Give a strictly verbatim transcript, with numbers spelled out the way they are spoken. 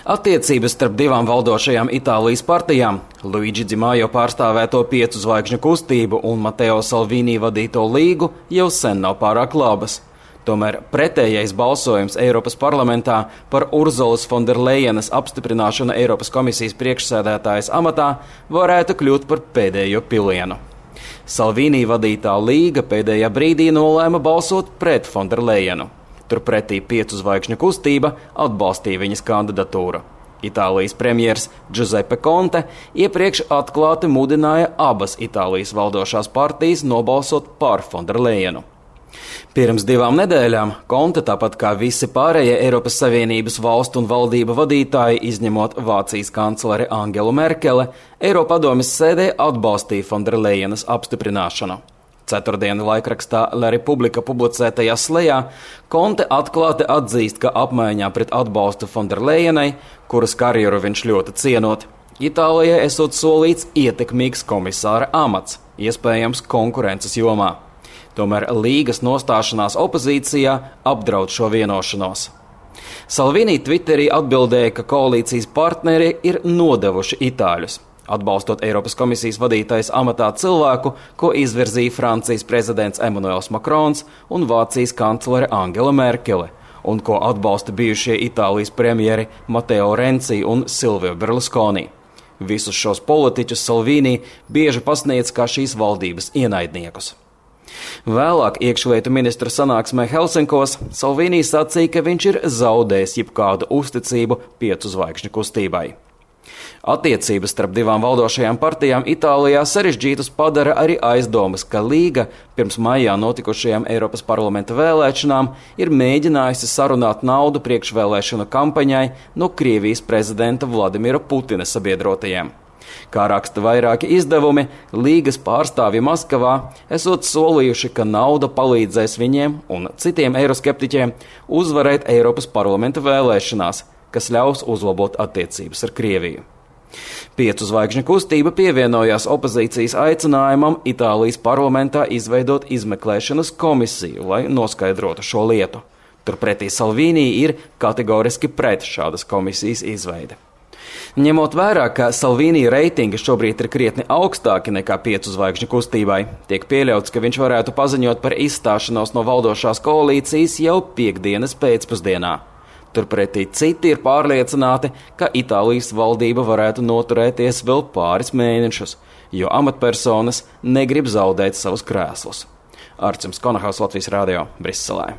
Attiecības starp divām valdošajām Itālijas partijām, Luigi Di Maio pārstāvēto piecu zvaigžņu kustību un Matteo Salvini vadīto līgu, jau sen nav pārāk labas. Tomēr pretējais balsojums Eiropas parlamentā par Urzulas Fonderlejenas apstiprināšanu Eiropas komisijas priekšsēdētājas amatā varētu kļūt par pēdējo pilienu. Salvini vadītā līga pēdējā brīdī nolēma balsot pret Fonderlejenu. Turpretī piecu zvaigžņu kustība atbalstīja viņas kandidatūru. Itālijas premjers Giuseppe Conte iepriekš atklāti mudināja abas Itālijas valdošās partijas nobalsot par Fonderlejenu. Pirms divām nedēļām Conte, tāpat kā visi pārējie Eiropas Savienības valstu un valdību vadītāji, izņemot Vācijas kancleri Angelu Merkele, Eiropadomes sēdē atbalstīja Fonderlejenas apstiprināšanu. Ceturtdienu laikrakstā La Repubblica publicētajā slejā Conte atklāti atzīst, ka apmaiņā pret atbalstu Fonderlejenai, kuras karjeru viņš ļoti cienot, Itālijai esot solīts ietekmīgs komisāra amats, iespējams konkurences jomā. Tomēr līgas nostāšanās opozīcijā apdraud šo vienošanos. Salvini Twitterī atbildēja, ka koalīcijas partneri ir nodevuši itāļus, atbalstot Eiropas komisijas vadītājas amatā cilvēku, ko izvirzīja Francijas prezidents Emmanuels Macrons un Vācijas kanclere Angela Merkele, un ko atbalsta bijušie Itālijas premjeri Matteo Renzi un Silvio Berlusconi. Visus šos politiķus Salvini bieži pasniedz kā šīs valdības ienaidniekus. Vēlāk iekšlietu ministra sanāksmē Helsinkos Salvini sacīja, ka viņš ir zaudējis jebkādu uzticību piecu zvaigžņu kustībai. Attiecības starp divām valdošajām partijām Itālijā sarežģītas padara arī aizdomas, ka līga pirms maijā notikušajām Eiropas parlamenta vēlēšanām ir mēģinājusi sarunāt naudu priekšvēlēšanu kampaņai no Krievijas prezidenta Vladimira Putina sabiedrotajiem. Kā raksta vairāki izdevumi, līgas pārstāvji Maskavā esot solījuši, ka nauda palīdzēs viņiem un citiem eiroskeptiķiem uzvarēt Eiropas parlamenta vēlēšanās, kas ļaus uzlabot attiecības ar Krieviju. Piecu zvaigžņu kustība pievienojās opozīcijas aicinājumam Itālijas parlamentā izveidot izmeklēšanas komisiju, lai noskaidrotu šo lietu. Turpretī Salvini ir kategoriski pret šādas komisijas izveidi. Ņemot vērā, ka Salvini reitingi šobrīd ir krietni augstāki nekā piecu zvaigžņu kustībai, tiek pieļauts, ka viņš varētu paziņot par izstāšanos no valdošās koalīcijas jau piekdienas pēcpusdienā. Turpretī citi ir pārliecināti, ka Itālijas valdība varētu noturēties vēl pāris mēnešus, jo amatpersonas negrib zaudēt savus krēslus. Arcims Konahaus, Latvijas radio, Briselē.